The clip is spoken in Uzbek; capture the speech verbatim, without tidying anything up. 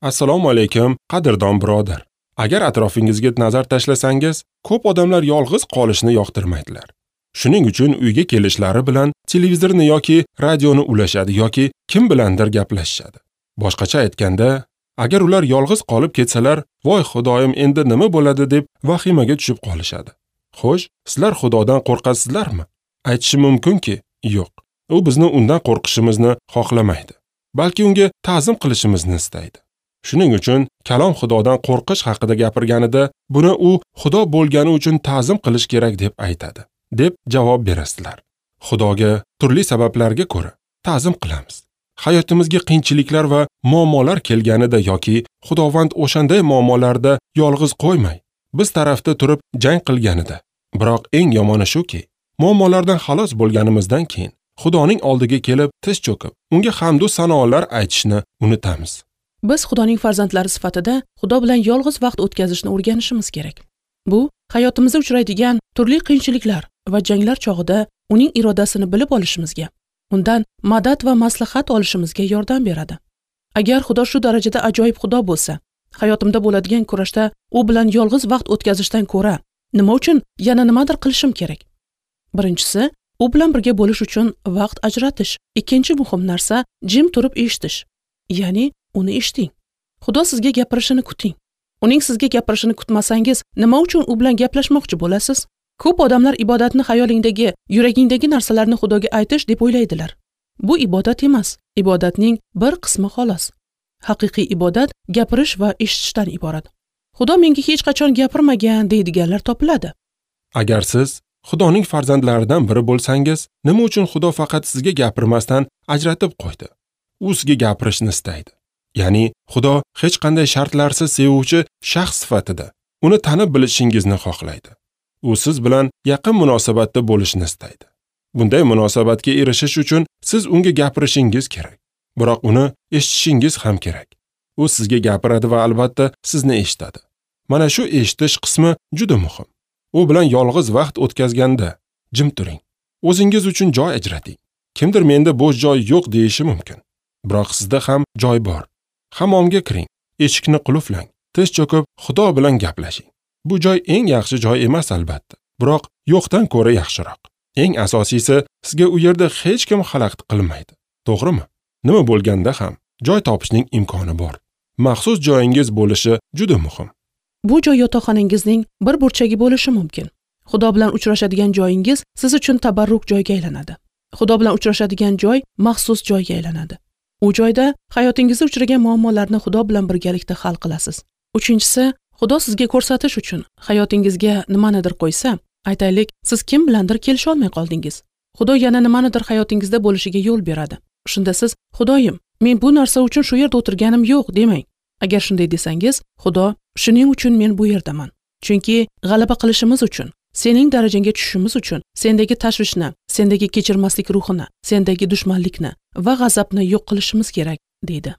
Assalomu alaykum, qadrdon birodar. Agar atrofingizga nazar tashlasangiz, ko'p odamlar yolg'iz qolishni yoqtirmaydilar. Shuning uchun uyga kelishlari bilan televizorni yoki radioni ulashadi yoki kim bilandir gaplashishadi. Boshqacha aytganda, agar ular yolg'iz qolib ketsalar, voy Xudoyim, endi nima bo'ladi deb vahimaga tushib qolishadi. Xo'sh, sizlar Xudodan qo'rqasizlarmi? Aytishim mumkinki, yo'q. U bizni undan qo'rqishimizni xohlamaydi, balki unga ta'zim qilishimizni istaydi. Shuning uchun kalom Xudodan qo'rqish haqida gapirganida, buni u Xudo bo'lgani uchun ta'zim qilish kerak deb aytadi, deb javob berasizlar. Xudoga turli sabablarga ko'ra ta'zim qilamiz. Hayotimizga qiyinchiliklar va muammolar kelganida yoki Xudovand o'shanday muammolarda yolg'iz qo'ymay, biz tarafda turib jang qilganida. Biroq eng yomoni shuki, muammolardan xalos bo'lganimizdan keyin Xudoning oldiga kelib tiz cho'kib, unga hamd va sanolar aytishni unutamiz. Biz Xudoning farzandlari sifatida Xudo bilan yolg'iz vaqt o'tkazishni o'rganishimiz kerak. Bu hayotimizda uchraydigan turli qiyinchiliklar va janglar chog'ida uning irodasini bilib olishimizga, undan madad va maslahat olishimizga yordam beradi. Agar Xudo shu darajada ajoyib Xudo bo'lsa, hayotimda bo'ladigan kurashda u bilan yolg'iz vaqt o'tkazishdan ko'ra nima uchun yana nimadir qilishim kerak? Birinchisi, u bilan birga bo'lish uchun vaqt ajratish. Ikkinchi muhim narsa, jim turib eshitish. Ya'ni uni eshiting. Xudo sizga gapirishini kuting. Uning sizga gapirishini kutmasangiz, nima uchun u bilan gaplashmoqchi bo'lasiz? Ko'p odamlar ibodatni xayolingdagi, yuragingdagi narsalarni Xudoga aytish deb o'ylaydilar. Bu ibodat emas, ibodatning bir qismi xolos. Haqiqiy ibodat gapirish va eshitishdan iborat. Xudo menga hech qachon gapirmagan deydiganlar topiladi. Agar siz Xudoning farzandlaridan biri bo'lsangiz, nima uchun Xudo faqat sizga gapirmasdan ajratib qo'ydi? U sizga gapirishni istaydi. Ya'ni Xudo hech qanday shartlarsiz sevuvchi shaxs sifatida uni tanib bilishingizni xohlaydi. U siz bilan yaqin munosabatda bo'lishni istaydi. Bunday munosabatga erishish uchun siz unga gapirishingiz kerak. Biroq uni eshitishingiz ham kerak. U sizga gapiradi va albatta sizni eshitadi. Mana shu eshitish qismi juda muhim. U bilan yolg'iz vaqt o'tkazganda jim turing. O'zingiz uchun joy ajrating. Kimdir menda bo'sh joy yo'q deyishi mumkin. Biroq sizda ham joy bor. Hammomga kiring, eshikni qulflang, tiz cho'kib Xudo bilan gaplashing. Bu joy eng yaxshi joy emas albatta, biroq yo'qdan ko'ra yaxshiroq. Eng asosiysi, sizga u yerda hech kim xalaqit qilmaydi. To'g'rimi? Nima bo'lganda ham joy topishning imkoni bor. Maxsus joyingiz bo'lishi juda muhim. Bu joy yotoqxonangizning bir burchagi bo'lishi mumkin. Xudo bilan uchrashadigan joyingiz siz uchun tabarruk joyga aylanadi. Xudo bilan uchrashadigan joy maxsus joyga aylanadi. U joyda hayotingizda uchragan muammolarni Xudo bilan birgalikda hal qilasiz. Uchinchisi, Xudo sizga ko'rsatish uchun hayotingizga nimanidir qo'ysa, aytaylik, siz kim bilandir kelisha olmay qoldingiz. Xudo yana nimanidir hayotingizda bo'lishiga yo'l beradi. Shunda siz, Xudoyim, men bu narsa uchun shu yerda o'tirganim yo'q demang. Agar shunday desangiz, Xudo, shuning uchun men bu yerdaman. Chunki g'alaba qilishimiz uchun, sening darajangga tushishimiz uchun sendagi tashvishni, sendagi kechirmaslik ruhini, sendagi dushmanlikni va g'azabni yo'q qilishimiz kerak, deydi.